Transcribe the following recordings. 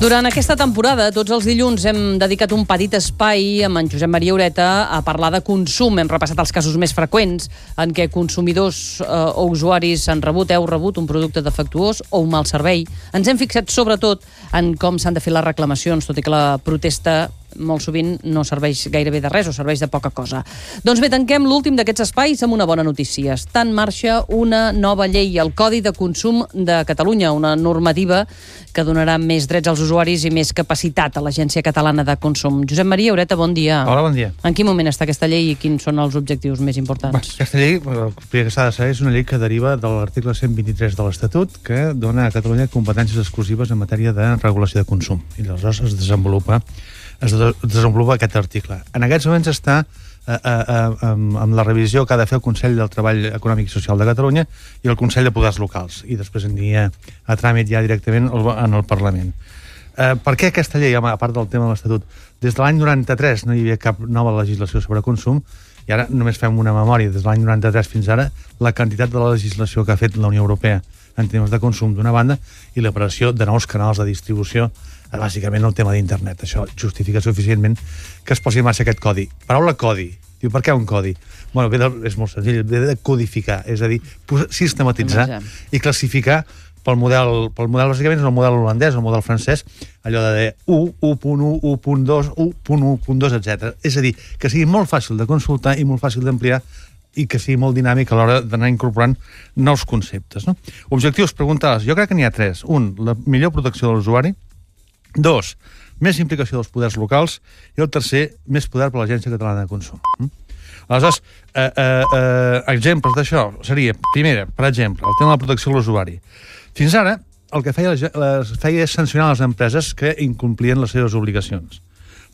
Durant aquesta temporada, tots els dilluns hem dedicat un petit espai amb en Josep Maria Ureta a parlar de consum. Hem repassat els casos més freqüents en què consumidors o usuaris heu rebut un producte defectuós o un mal servei. Ens hem fixat sobretot en com s'han de fer les reclamacions, tot i que la protesta molt sovint no serveix gairebé de res o serveix de poca cosa. Doncs bé, tanquem l'últim d'aquests espais amb una bona notícia. Està en marxa una nova llei, el Codi de Consum de Catalunya, una normativa que donarà més drets als usuaris i més capacitat a l'Agència Catalana de Consum. Josep Maria Ureta, bon dia. Hola, bon dia. En quin moment està aquesta llei i quins són els objectius més importants? Aquesta llei, el primer que s'ha de saber, és una llei que deriva de l'article 123 de l'Estatut, que dona a Catalunya competències exclusives en matèria de regulació de consum. I aleshores es desenvolupa aquest article. En aquests moments està amb la revisió que ha de fer el Consell del Treball Econòmic i Social de Catalunya i el Consell de Poders Locals, i després aniria a tràmit ja directament en el Parlament. Per què aquesta llei, a part del tema de l'Estatut? Des de l'any 93 no hi havia cap nova legislació sobre consum, i ara només fem una memòria. Des de l'any 93 fins ara, la quantitat de la legislació que ha fet la Unió Europea en temes de consum d'una banda i l'aparició de nous canals de distribució, bàsicament el tema d'internet. Això justifica suficientment que es posi en marxa aquest codi. Paraula codi. Diu, per què un codi? Bueno, és molt senzill, ve de codificar, és a dir, sistematitzar i classificar pel model, bàsicament és el model holandès, el model francès, allò de 1, 1.1, 1.2, 1.1.2, etc. És a dir, que sigui molt fàcil de consultar i molt fàcil d'ampliar i que sigui molt dinàmic a l'hora d'anar incorporant nous conceptes. No? Objectius, preguntaves. Jo crec que n'hi ha 3. 1, la millor protecció de l'usuari. 2, més implicació dels poders locals. I el tercer, més poder per a l'Agència Catalana de Consum. Aleshores, exemples d'això seria, primera, per exemple, el tema de la protecció de l'usuari. Fins ara, el que feia és sancionar les empreses que incomplien les seves obligacions.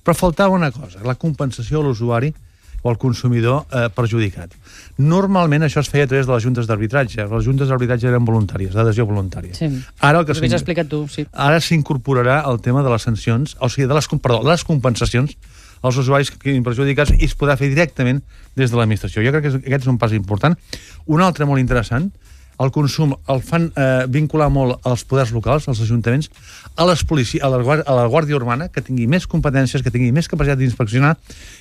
Però faltava una cosa, la compensació a l'usuari o al consumidor perjudicat. Normalment això es feia a través de les juntes d'arbitratge. Les juntes d'arbitratge eren voluntàries, d'adhesió voluntària. Sí, ara ho has explicat tu, sí. Ara s'incorporarà el tema de les sancions, o sigui, de les compensacions als usuaris que quedin perjudicats, i es podrà fer directament des de l'administració. Jo crec que aquest és un pas important. Un altre molt interessant, el consum el fan vincular molt als poders locals, als ajuntaments, a les policies, a la Guàrdia Urbana, que tingui més competències, que tingui més capacitat d'inspeccionar,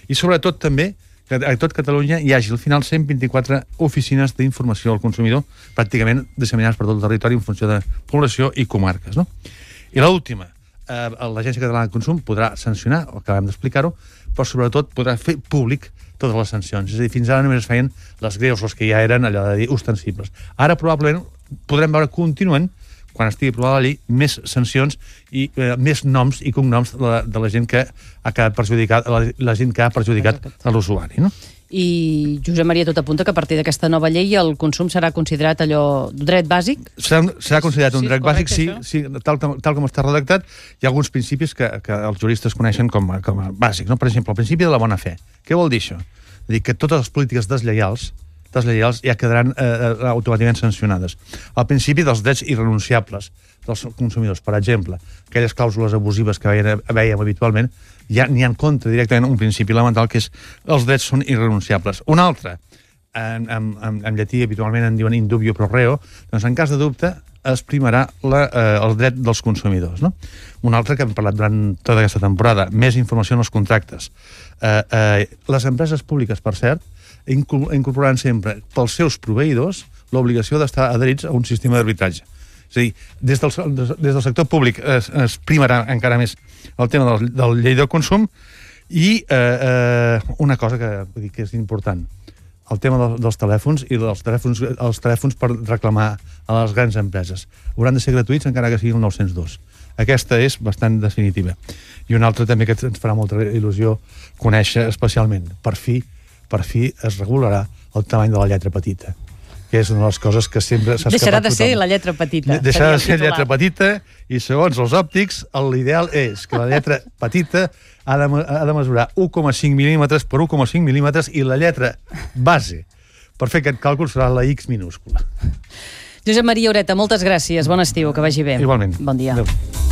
i sobretot també que a tot Catalunya hi hagi al final 124 oficines d'informació al consumidor, pràcticament disseminades per tot el territori en funció de població i comarques. No? I l'última, l'Agència Catalana de Consum podrà sancionar, acabem d'explicar-ho, però sobretot podrà fer públic totes les sancions. És a dir, fins ara només es feien les greus, les que ja eren, allò de dir, ostensibles. Ara probablement podrem veure contínuament, quan estigui aprovada la llei, més sancions i més noms i cognoms de la gent que ha quedat perjudicat, la gent que ha perjudicat a l'usuari, no? I Josep Maria, tot apunta que a partir d'aquesta nova llei el consum serà considerat allò dret bàsic? Serà considerat un dret bàsic, sí, tal com està redactat. Hi ha alguns principis que els juristes coneixen com a bàsics, no? Per exemple, el principi de la bona fe. Què vol dir això? És a dir, que totes les polítiques deslleials ja quedaran automàticament sancionades. El principi dels drets irrenunciables dels consumidors, per exemple, aquelles clàusules abusives que veiem habitualment, ja n'hi ha en contra directament un principi elemental, que és els drets són irrenunciables. Un altre, en llatí habitualment en diuen in dubio pro reo, doncs en cas de dubte es primarà el dret dels consumidors. No? Un altre que hem parlat durant tota aquesta temporada, més informació en els contractes. Les empreses públiques, per cert, incorporaran sempre pels seus proveïdors l'obligació d'estar adherits a un sistema d'arbitratge. És a dir, des del sector públic es primarà encara més el tema del llei del consum, i una cosa que és important, el tema dels telèfons i els telèfons per reclamar a les grans empreses. Hauran de ser gratuïts encara que sigui el 902. Aquesta és bastant definitiva. I una altra també que ens farà molta il·lusió conèixer especialment. Per fi es regularà el tamany de la lletra petita, que és una de les coses que sempre s'ha escapat. Deixarà de ser la lletra petita. Deixarà de ser lletra petita, i segons els òptics, l'ideal és que la lletra petita ha de mesurar 1,5 mil·límetres per 1,5 mil·límetres, i la lletra base per fer aquest càlcul serà la X minúscula. Josep Maria Ureta, moltes gràcies. Bon estiu, que vagi bé. Igualment. Bon dia. Adéu.